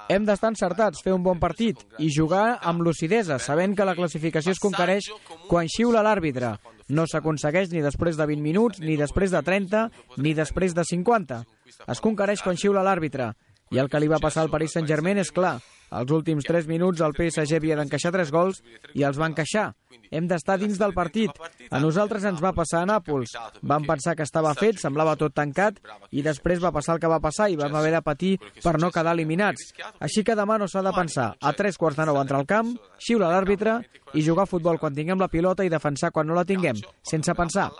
Hem d'estar encertats, fer un bon partit i jugar amb lucidesa, sabent que la classificació es conquereix quan xiula l'àrbitre. No s'aconsegueix ni després de 20 minuts, ni després de 30, ni després de 50. Es conquereix quan xiula l'àrbitre. I el que li va passar al Paris Saint-Germain és clar. Als últims 3 minuts el PSG havia d'encaixar 3 gols i els va encaixar. Hem d'estar dins del partit. A nosaltres ens va passar a Nàpols. Vam pensar que estava fet, semblava tot tancat, i després va passar el que va passar i vam haver de patir per no quedar eliminats. Així que demà no s'ha de pensar. A 3:45 entrar al camp, xiula l'àrbitre i jugar a futbol quan tinguem la pilota i defensar quan no la tinguem, sense pensar.